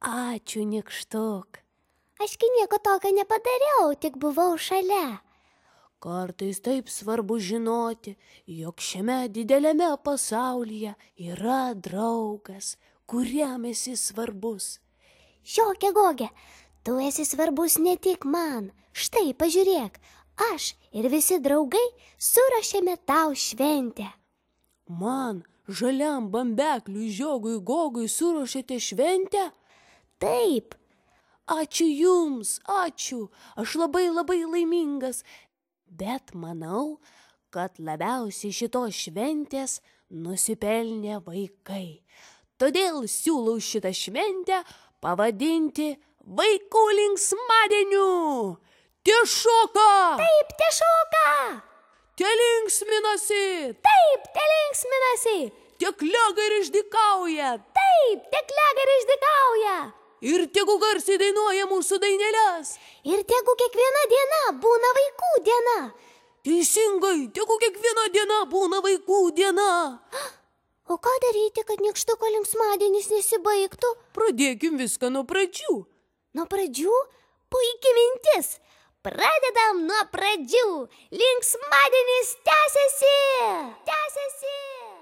Ačiū, nykštuk. Ašgi nieko tokio nepadariau, tik buvau šalia. Kartais taip svarbu žinoti, jog šiame dideliame pasaulyje yra draugas, kuriam esi svarbus. Žiokė Gogė, tu esi svarbus ne tik man. Štai, pažiūrėk, aš ir visi draugai suruošėme tau šventę. Man, žaliam bambekliui Žiogui Gogui, suruošėte šventę? Taip. Ačiū jums, ačiū. Aš labai laimingas. Bet manau, kad labiausiai šitos šventės nusipelnė vaikai. Todėl siūlau šitą šventę pavadinti Vaikų linksmadieniu. Tešoka! Taip, tešoka! Telinksminasi! Taip, telinksminasi! Tiek lega ir išdykauja! Taip, tiek lega ir išdykauja! Ir tegu garsiai dainuoja mūsų daineles. Ir tegu kiekviena diena būna vaikų diena. Teisingai, tegu kiekviena diena būna vaikų diena. O ką daryti, kad nykštuko linksmadienis nesibaigtų? Pradėkim viską nuo pradžių. Nuo pradžių? Puiki mintis. Pradedam nuo pradžių. Linksmadienis tęsiasi. Tęsiasi.